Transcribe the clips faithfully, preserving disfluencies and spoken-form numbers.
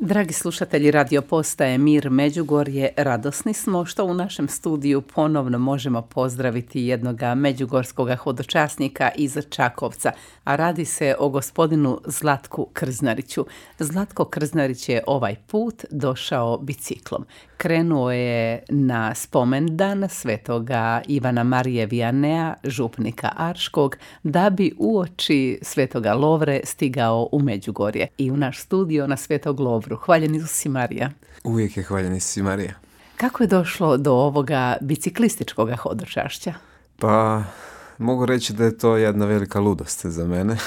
Dragi slušatelji radio postaje Mir Međugorje, radosni smo što u našem studiju ponovno možemo pozdraviti jednoga međugorskoga hodočasnika iz Čakovca, a radi se o gospodinu Zlatku Krznariću. Zlatko Krznarić je ovaj put došao biciklom. Krenuo je na spomendan svetoga Ivana Marije Viannea, župnika Arškog, da bi uoči svetoga Lovre stigao u Međugorje i u naš studio na Svetog Lovru. Hvaljen Isusi Marija. Uvijek je hvaljen Isusi Marija. Kako je došlo do ovoga biciklističkoga hodočašća? Pa mogu reći da je to jedna velika ludost za mene,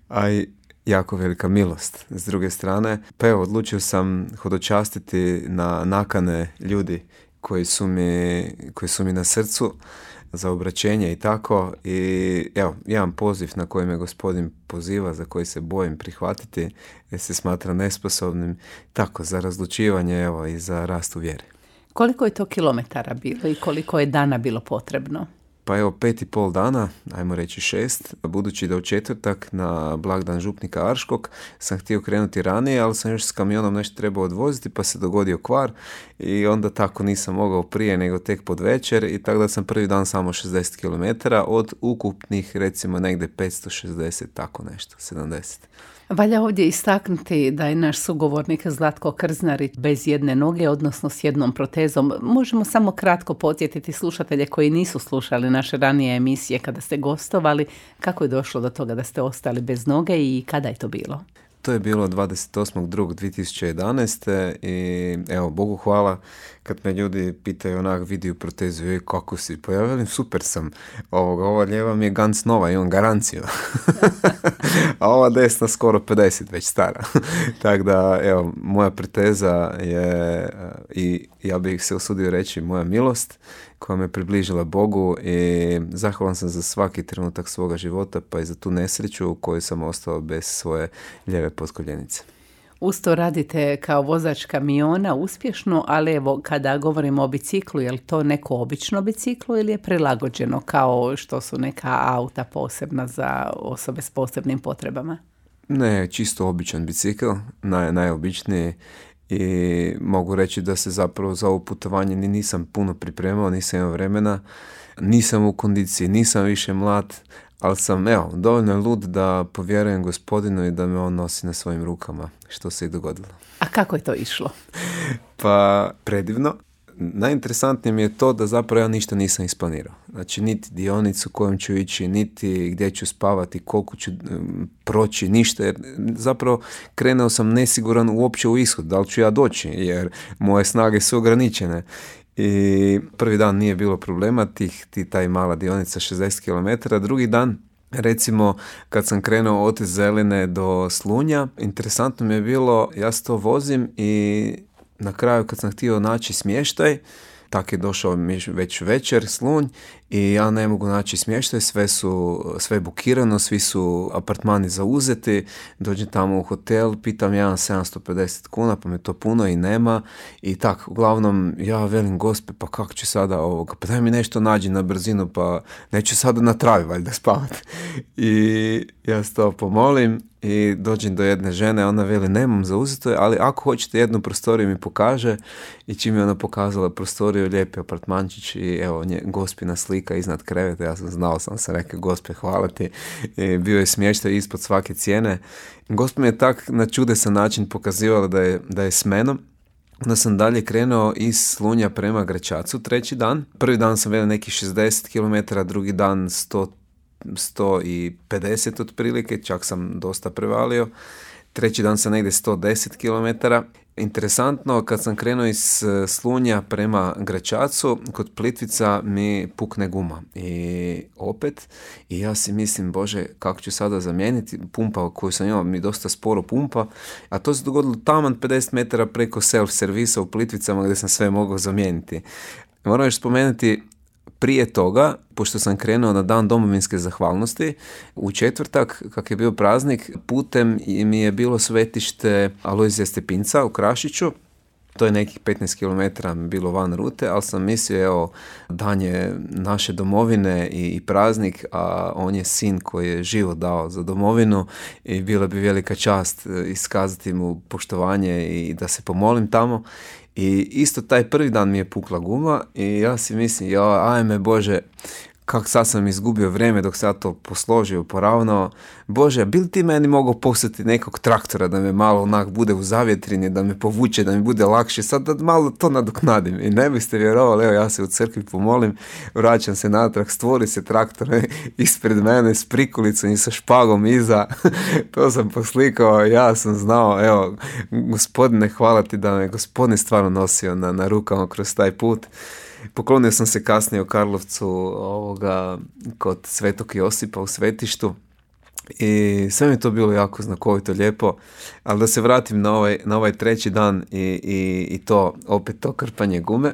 a i jako velika milost. S druge strane, pa evo, odlučio sam hodočastiti na nakane ljudi koji su mi, koji su mi na srcu za obraćenje i tako. I evo, jedan poziv na koji me gospodin poziva, za koji se bojim prihvatiti, jer se smatra nesposobnim, tako, za razlučivanje, evo, i za rast u vjeri. Koliko je to kilometara bilo i koliko je dana bilo potrebno? Pa evo, pet i pol dana, ajmo reći šest, budući da u četvrtak na blagdan župnika Arškog sam htio krenuti ranije, ali sam još s kamionom nešto trebao odvoziti, pa se dogodio kvar i onda tako nisam mogao prije nego tek pod večer i tako da sam prvi dan samo šezdeset kilometara od ukupnih recimo negdje petsto šezdeset, tako nešto, sedamdeset. Valja ovdje istaknuti da je naš sugovornik Zlatko Krznarić bez jedne noge, odnosno s jednom protezom. Možemo samo kratko podsjetiti slušatelje koji nisu slušali naše ranije emisije kada ste gostovali, kako je došlo do toga da ste ostali bez noge i kada je to bilo? To je bilo dvadeset osmog drugog dvije tisuće jedanaeste i evo, Bogu hvala, kad me ljudi pitaju onak, vidi u protezu, joj, kako si? Pa ja velim, super sam. Ovoga, ova lijeva mi je ganz nova, imam garanciju. A ova desna skoro pedeset, već stara. Tako da, evo, moja proteza je, i ja bih se usudio reći, moja milost koja me približila Bogu i zahvalan sam za svaki trenutak svoga života, pa i za tu nesreću u kojoj sam ostao bez svoje lijeve potkoljenice. Uz to radite kao vozač kamiona uspješno, ali evo, kada govorimo o biciklu, je li to neko obično biciklo ili je prilagođeno kao što su neka auta posebna za osobe s posebnim potrebama? Ne, čisto običan bicikl, naj, najobičniji. I mogu reći da se zapravo za ovo putovanje ni nisam puno pripremao, nisam imao vremena, nisam u kondiciji, nisam više mlad, ali sam, evo, dovoljno lud da povjerujem gospodinu i da me on nosi na svojim rukama, što se i dogodilo. A kako je to išlo? Pa, predivno. Najinteresantnije mi je to da zapravo ja ništa nisam isplanirao. Znači, niti dionicu kojom ću ići, niti gdje ću spavati, koliko ću um, proći, ništa. Jer zapravo krenuo sam nesiguran uopće u ishod, da li ću ja doći, jer moje snage su ograničene. I prvi dan nije bilo problema, tih, ti taj mala dionica šezdeset kilometara, drugi dan, recimo, kad sam krenuo od Zeline do Slunja, interesantno mi je bilo, ja se to vozim i na kraju kad sam htio naći smještaj, tak je došao već večer Slunj i ja ne mogu naći smještaj, sve su, sve je bukirano, svi su apartmani zauzeti, dođem tamo u hotel, pitam ja sedamsto pedeset kuna, pa me to puno i nema i tak, uglavnom ja velim, gospe, pa kako ću sada ovoga, pa daj mi nešto nađi na brzinu, pa neću sada na travi valjda spavati. I ja se to pomolim i dođem do jedne žene, ona veli, nemam zauzeto, ali ako hoćete jednu prostoriju mi pokaže i čim je ona pokazala prostoriju, lijepi apartmančić i evo, nje, gospina slika iznad kreveta, ja sam znao, sam se rekao, gospe, hvala ti, i bio je smještaj ispod svake cijene. Gospa mi je tak na čudesan način pokazivala da je, da je s menom. Onda sam dalje krenuo iz Slunja prema Gračacu treći dan. Prvi dan sam vedio nekih šezdeset kilometara, drugi dan sto sto pedeset otprilike, čak sam dosta prevalio. Treći dan sam negdje sto deset kilometara. Interesantno, kad sam krenuo iz Slunja prema Gračacu, kod Plitvica mi pukne guma. I opet, i ja si mislim, bože, kako ću sada zamijeniti, pumpa koju sam imao mi dosta sporo pumpa, a to se dogodilo taman pedeset metara preko self-servisa u Plitvicama gdje sam sve mogao zamijeniti. Moram još spomenuti, prije toga, pošto sam krenuo na dan domovinske zahvalnosti, u četvrtak, kak je bio praznik, putem mi je bilo svetište Alojzija Stepinca u Krašiću, To je nekih petnaest kilometara bilo van rute, ali sam mislio, evo, dan je naše domovine i, i praznik, a on je sin koji je život dao za domovinu i bila bi velika čast iskazati mu poštovanje i da se pomolim tamo. I isto taj prvi dan mi je pukla guma i ja si mislim, ja, ajme Bože, kako sad sam izgubio vrijeme dok sam to posložio, poravnao. Bože, bi li ti meni mogao poslati nekog traktora da me malo onak bude u zavjetrini, da me povuče, da mi bude lakše, sad da malo to nadoknadim. I ne biste vjerovali, evo ja se u crkvi pomolim, vraćam se natrag, stvori se traktor ispred mene s prikulicom i sa špagom iza. To sam poslikao, ja sam znao, evo, Gospodine, hvala ti da me Gospodin stvarno nosio na, na rukama kroz taj put. Poklonio sam se kasnije u Karlovcu ovoga, kod Svetog Josipa u svetištu i sve mi je to bilo jako znakovito, lijepo, ali da se vratim na ovaj, na ovaj treći dan i, i, i to, opet to krpanje gume.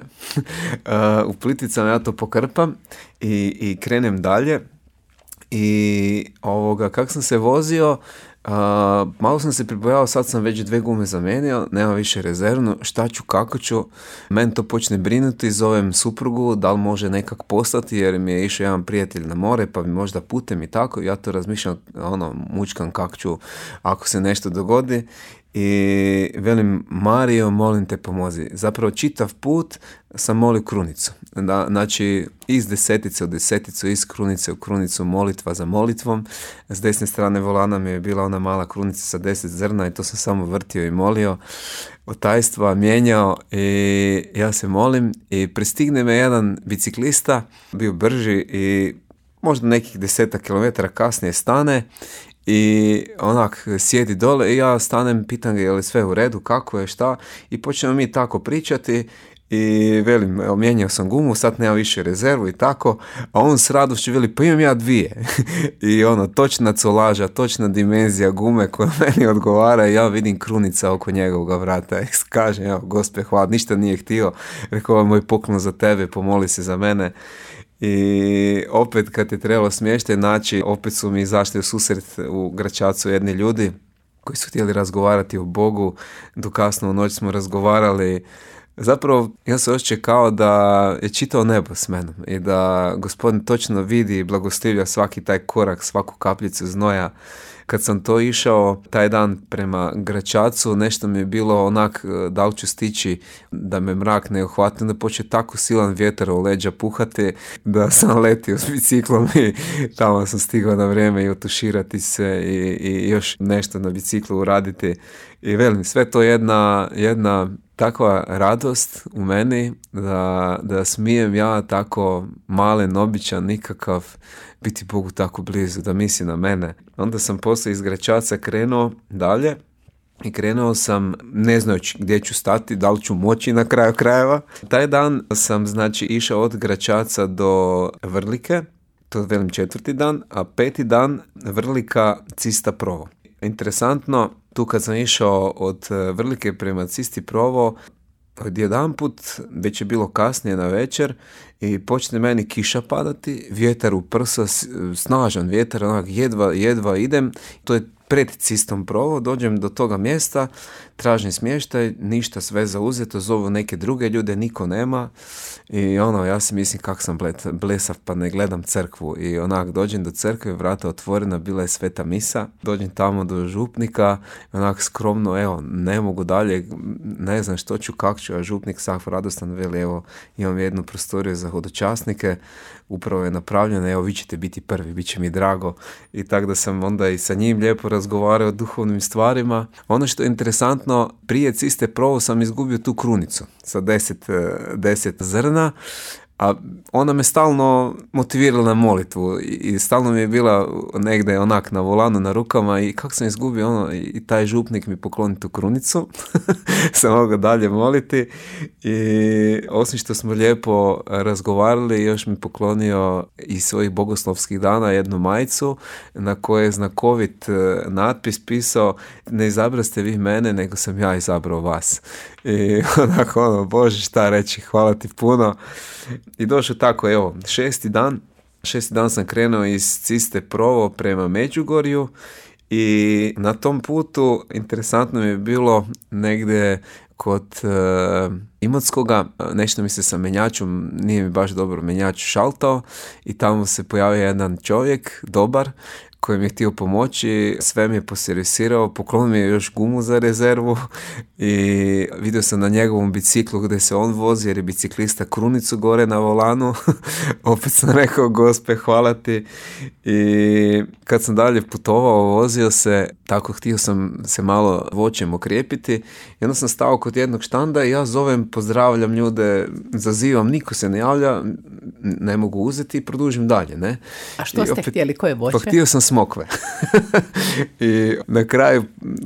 U Plitvicama ja to pokrpam i, i krenem dalje i ovoga, kak sam se vozio, Uh, malo sam se pribojao, sad sam već dve gume zamenio, nema više rezervnu, šta ću, kako ću, meni to počne brinuti, zovem suprugu, da li može nekak poslati, jer mi je išao jedan prijatelj na more, pa mi možda putem i tako, ja to razmišljam, ono, mučkam kak ću, ako se nešto dogodi. I velim, Mario, molim te pomozi. Zapravo čitav put sam molio krunicu. Da, znači, iz desetice u deseticu, iz krunice u krunicu, molitva za molitvom. S desne strane volana mi je bila ona mala krunica sa deset zrna i to sam samo vrtio i molio. Od tajstva mijenjao i ja se molim i pristigne me jedan biciklista, bio brži i možda nekih desetak kilometara kasnije stane i onak sjedi dole i ja stanem, pitam ga je li sve u redu, kako je, šta, i počnemo mi tako pričati i velim, evo, mijenjao sam gumu, sad nema više rezervu i tako, a on s radošću veli, pa imam ja dvije. I ono, točna colaža, točna dimenzija gume koja meni odgovara i ja vidim krunica oko njegovog vrata i kažem, evo, Gospe, hvala, ništa nije htio, rekao, ovo je moj poklon za tebe, pomoli se za mene. I opet kad je trebalo smještaj naći, opet su mi izašli u susret u Gračacu jedni ljudi koji su htjeli razgovarati o Bogu. Do kasno u noć smo razgovarali. Zapravo ja sam osjećao kao da je čitao nebo s menom i da Gospodin točno vidi i blagoslivlja svaki taj korak, svaku kapljicu znoja. Kad sam to išao taj dan prema Gračacu, nešto mi je bilo onak, da li ću stići da me mrak ne uhvati, da počne tako silan vjetar u leđa puhati da sam letio s biciklom i tamo sam stigao na vrijeme i otuširati se i, i još nešto na biciklu uraditi. I velim, sve to jedna, jedna takva radost u meni da, da smijem ja tako malen, običan, nikakav, biti Bogu tako blizu, da misli na mene. Onda sam poslije iz Gračaca krenuo dalje i krenuo sam ne znajući gdje ću stati, da li ću moći na kraju krajeva. Taj dan sam znači išao od Gračaca do Vrlike, to je velim četvrti dan, a peti dan Vrlika Cista Provo. Interesantno, tu kad sam išao od Vrlike prema Cisti Provo, odjedanput, već je bilo kasnije na večer i počne meni kiša padati, vjetar u prsa, snažan vjetar, onak jedva, jedva idem, to je pred Cistom Provo, dođem do toga mjesta, tražim smještaj, ništa, sve zauzeto, zovu neke druge ljude, niko nema i ono, ja si mislim kak sam blesav pa ne gledam crkvu i onak dođem do crkve, vrata otvorena, bila je sveta misa, dođem tamo do župnika, onak skromno, evo, ne mogu dalje, ne znam što ću, kak ću, a župnik sav radostan veli, evo, imam jednu prostoriju za hodočasnike, upravo je napravljena, evo, vi ćete biti prvi, bit će mi drago i tako da sam onda i sa njim lijepo razgovarao o duhovnim stvarima. Ono što je interesantno, prije Ciste Provo sam izgubio tu krunicu sa deset, deset zrna, a ona me stalno motivirala na molitvu i stalno mi je bila negdje onak na volanu na rukama i kako sam izgubio ono i taj župnik mi pokloni tu krunicu sam mogao dalje moliti i osim što smo lijepo razgovarali još mi poklonio iz svojih bogoslovskih dana jednu majicu na kojoj je znakovit natpis pisao ne izabraste vi mene nego sam ja izabrao vas i onako ono, Bože šta reći, hvala ti puno. I došao tako, evo, šesti dan, šesti dan sam krenuo iz Ciste Provo prema Međugorju I na tom putu interesantno mi je bilo negdje kod uh, Imotskoga, nešto mi se sa menjačom, nije mi baš dobro menjač šaltao i tamo se pojavio jedan čovjek, dobar, koji mi je htio pomoći, sve mi je poservisirao, poklonio mi je još gumu za rezervu i vidio sam na njegovom biciklu gdje se on vozi, jer je biciklista krunicu gore na volanu. Opet sam rekao, Gospe, hvala ti. I kad sam dalje putovao, vozio se, tako htio sam se malo voćem okrijepiti i onda sam stao kod jednog štanda i ja zovem, pozdravljam ljude, zazivam, niko se ne javlja, ne mogu uzeti i produžim dalje, ne? A što I ste opet, htjeli, koje voće? Pa htio sam smokve. I na kraju,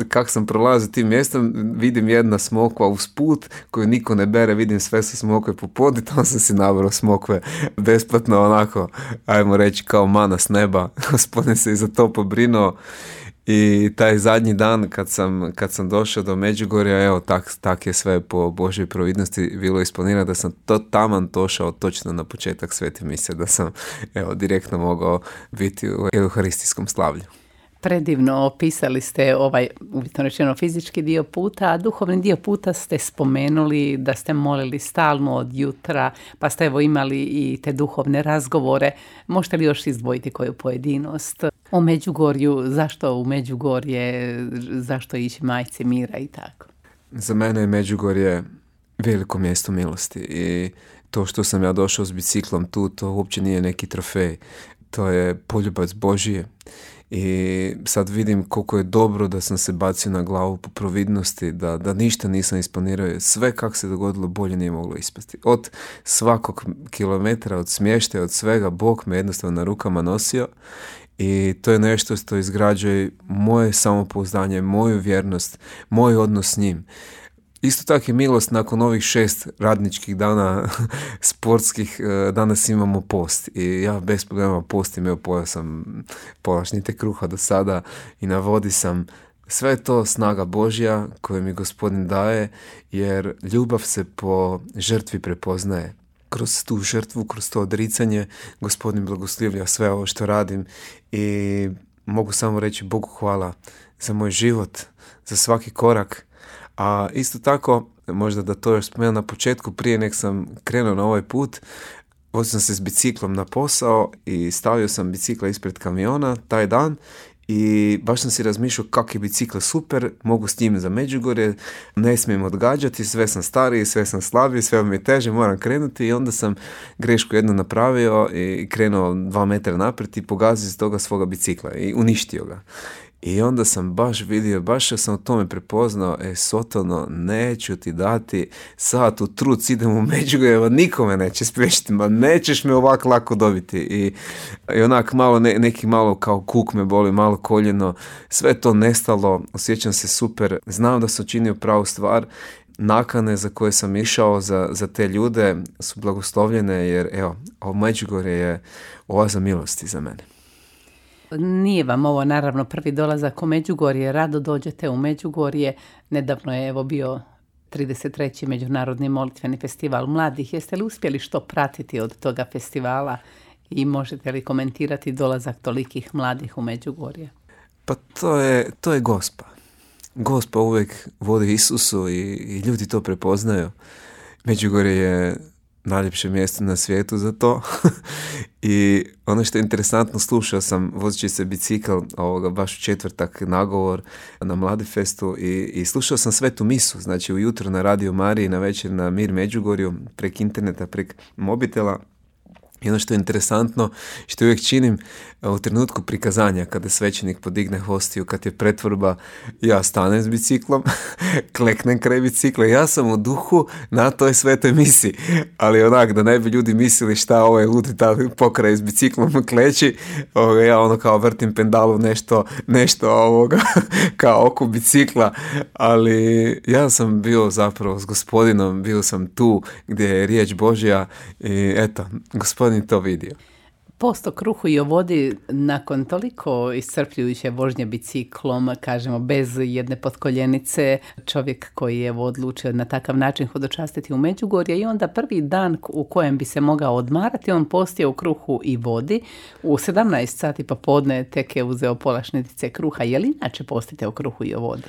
kak sam prolazio tim mjestom, vidim jedna smokva uz put koju niko ne bere, vidim sve su smokve po podu, tamo sam si nabrao smokve besplatno, onako, ajmo reći, kao mana s neba. Gospodin se i za to pobrinuo. I taj zadnji dan kad sam, kad sam došao do Međugorja, evo, tak, tak je sve po Božoj providnosti bilo isplanirano, da sam to taman došao točno na početak svete mise, da sam, evo, direktno mogao biti u euharistijskom slavlju. Predivno opisali ste ovaj, uvjetno rečeno, fizički dio puta, a duhovni dio puta ste spomenuli da ste molili stalno od jutra, pa ste evo imali i te duhovne razgovore. Možete li još izdvojiti koju pojedinost o Međugorju, zašto u Međugorje, zašto ići Majci mira i tako? Za mene je Međugorje veliko mjesto milosti i to što sam ja došao s biciklom tu, to uopće nije neki trofej, to je poljubac Božije. I sad vidim koliko je dobro da sam se bacio na glavu po providnosti, da, da ništa nisam isplanirao. Sve kako se dogodilo bolje nije moglo ispasti. Od svakog kilometra, od smještaja, od svega, Bog me jednostavno na rukama nosio i to je nešto što izgrađuje moje samopouzdanje, moju vjernost, moj odnos s njim. Isto tako je milost nakon ovih šest radničkih dana sportskih, danas imamo post i ja bez problema postim, evo pojao sam pola šnite kruha do sada i na vodi sam. Sve je to snaga Božja koju mi Gospodin daje, jer ljubav se po žrtvi prepoznaje. Kroz tu žrtvu, kroz to odricanje, Gospodin blagoslivlja sve ovo što radim i mogu samo reći Bogu hvala za moj život, za svaki korak. A isto tako, možda da to još spomenuo na početku, prije nek sam krenuo na ovaj put, vozio sam se s biciklom na posao i stavio sam bicikla ispred kamiona taj dan i baš sam si razmišljao kak je bicikl super, mogu s njim za Međugorje, ne smijem odgađati, sve sam stariji, sve sam slabiji, sve mi je teže, moram krenuti i onda sam grešku jednu napravio i krenuo dva metra naprijed i pogazio iz toga svoga bicikla i uništio ga. I onda sam baš vidio, baš sam u tome prepoznao, e, Sotono, neću ti dati sad u truc, idem u Međugorje, nikome neće spriječiti, ma nećeš me ovako lako dobiti. I, i onak malo, ne, neki malo kao kuk me boli, malo koljeno, sve to nestalo, osjećam se super, znam da sam činio pravu stvar, nakane za koje sam išao za, za te ljude su blagoslovljene, jer evo, ovo Međugorje je oaza milosti za mene. Nije vam ovo naravno prvi dolazak u Međugorje, rado dođete u Međugorje. Nedavno je evo bio trideset treći Međunarodni molitveni festival mladih. Jeste li uspjeli što pratiti od toga festivala i možete li komentirati dolazak tolikih mladih u Međugorje? Pa to je, to je Gospa. Gospa uvijek vodi Isusu i, i ljudi to prepoznaju. Međugorje je najljepše mjesto na svijetu za to. I ono što je interesantno, slušao sam vozeći se bicikl ovoga baš u četvrtak nagovor na Mladifestu i, i slušao sam svetu misu, znači ujutro na Radio Mariji, na večer na Mir Međugorju, prek interneta, prek mobitela. I ono što je interesantno, što uvijek činim u trenutku prikazanja, kada svećenik podigne hostiju, kad je pretvorba, ja stanem s biciklom, kleknem kraj bicikla, ja sam u duhu na toj svetoj misi, ali onak da ne bi ljudi mislili šta ovaj ludi ta pokraj s biciklom kleči, ovoga, ja ono kao vrtim pendalu nešto, nešto ovoga, kao oko bicikla, ali ja sam bio zapravo s Gospodinom, bio sam tu gdje je riječ Božja i eto, Gospodin to vidio. Post o kruhu i o vodi nakon toliko iscrpljujuće vožnje biciklom, kažemo bez jedne potkoljenice, čovjek koji je odlučio na takav način hodočastiti u Međugorje i onda prvi dan u kojem bi se mogao odmarati, on postio u kruhu i vodi. U sedamnaest sati popodne tek je uzeo pola šnitice kruha. Je li inače postite u kruhu i o vodi?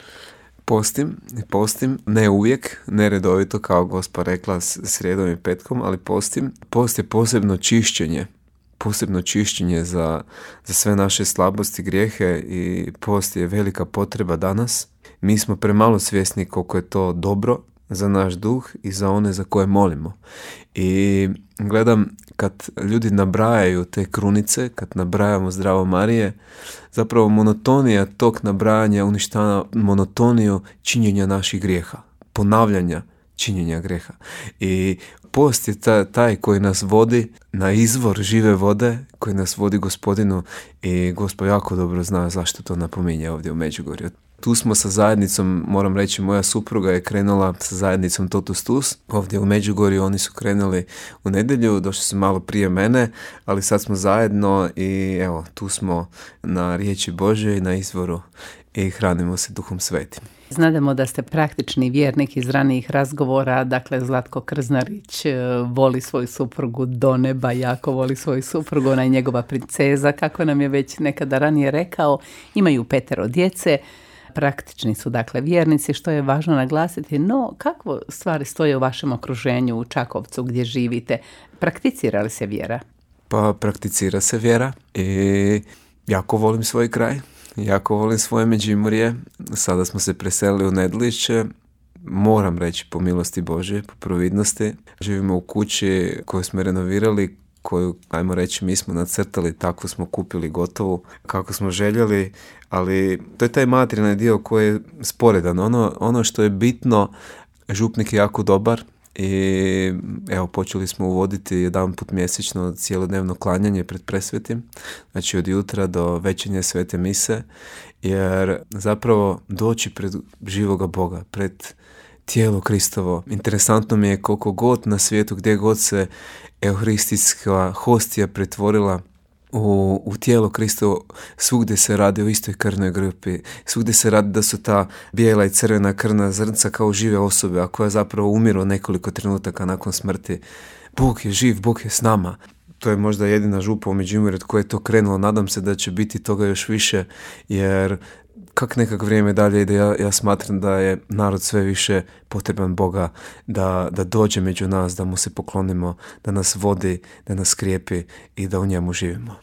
Postim, postim, ne uvijek, ne redovito kao gospa rekla srijedom i petkom, ali postim. Post je posebno čišćenje. posebno čišćenje za, za sve naše slabosti, grijehe i post je velika potreba danas. Mi smo premalo svjesni koliko je to dobro za naš duh i za one za koje molimo. I gledam kad ljudi nabrajaju te krunice, kad nabrajamo Zdravo Marije, zapravo monotonija tog nabrajanja uništava monotoniju činjenja naših grijeha, ponavljanja činjenja grijeha. I post je taj koji nas vodi na izvor žive vode, koji nas vodi Gospodinu i Gospod jako dobro zna zašto to napominje ovdje u Međugorju. Tu smo sa zajednicom, moram reći, moja supruga je krenula sa zajednicom Totus Tus. Ovdje u Međugorju oni su krenuli u nedjelju, došli su malo prije mene, ali sad smo zajedno i evo, tu smo na riječi Božje i na izvoru i hranimo se Duhom Svetim. Znademo da ste praktični vjernik iz ranijih razgovora, dakle Zlatko Krznarić voli svoju suprugu do neba, jako voli svoju suprugu, ona je njegova princeza, kako nam je već nekada ranije rekao, imaju petero djece, praktični su dakle vjernici, što je važno naglasiti, no kako stvari stoje u vašem okruženju u Čakovcu gdje živite? Prakticira li se vjera? Pa prakticira se vjera i jako volim svoj kraj. Jako volim svoje Međimurje. Sada smo se preselili u Nedlišće. Moram reći po milosti Božje, po providnosti. Živimo u kući koju smo renovirali, koju, ajmo reći, mi smo nacrtali, tako smo kupili gotovu, kako smo željeli, ali to je taj materijalni dio koji je sporedan. Ono, ono što je bitno, župnik je jako dobar i evo počeli smo uvoditi jedan put mjesečno cijelodnevno klanjanje pred presvetim, znači od jutra do večernje svete mise, jer zapravo doći pred živoga Boga, pred tijelo Kristovo. Interesantno mi je koliko god na svijetu, gdje god se euharistijska hostija pretvorila u, u tijelo Kristovo, svugdje se radi o istoj krvnoj grupi, svugdje se radi da su ta bijela i crvena krvna zrnca kao žive osobe, a koja zapravo umiru nekoliko trenutaka nakon smrti. Bog je živ, Bog je s nama. To je možda jedina župa u Međimurju od koje je to krenulo. Nadam se da će biti toga još više, jer kak nekak vrijeme dalje ide, ja, ja smatram da je narod sve više potreban Boga, da, da dođe među nas, da mu se poklonimo, da nas vodi, da nas krijepi i da u njemu živimo.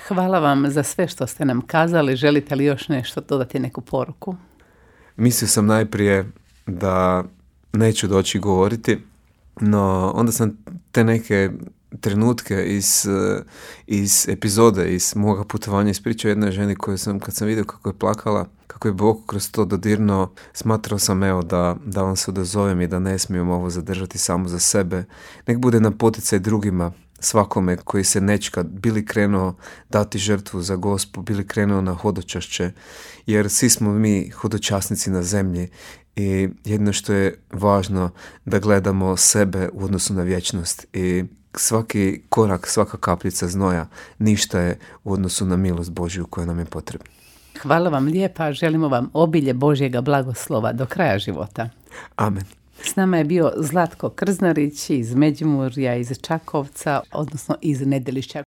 Hvala vam za sve što ste nam kazali. Želite li još nešto dodati, neku poruku? Mislio sam najprije da neću doći govoriti, no onda sam te neke trenutke iz, iz epizode, iz moga putovanja ispričao jednoj ženi koju sam, kad sam vidio kako je plakala, kako je Bog kroz to dodirnuo, smatrao sam evo da, da vam se odazovem i da ne smijem ovo zadržati samo za sebe. Nek bude na poticaj drugima, svakome koji se nečka bili krenuo dati žrtvu za Gospu, bili krenuo na hodočašće, jer svi smo mi hodočasnici na zemlji i jedno što je važno da gledamo sebe u odnosu na vječnost i svaki korak, svaka kapljica znoja ništa je u odnosu na milost Božju koja nam je potrebna. Hvala vam lijepa, želimo vam obilje Božjega blagoslova do kraja života. Amen. S nama je bio Zlatko Krznarić iz Međimurja, iz Čakovca, odnosno iz Nedelišća.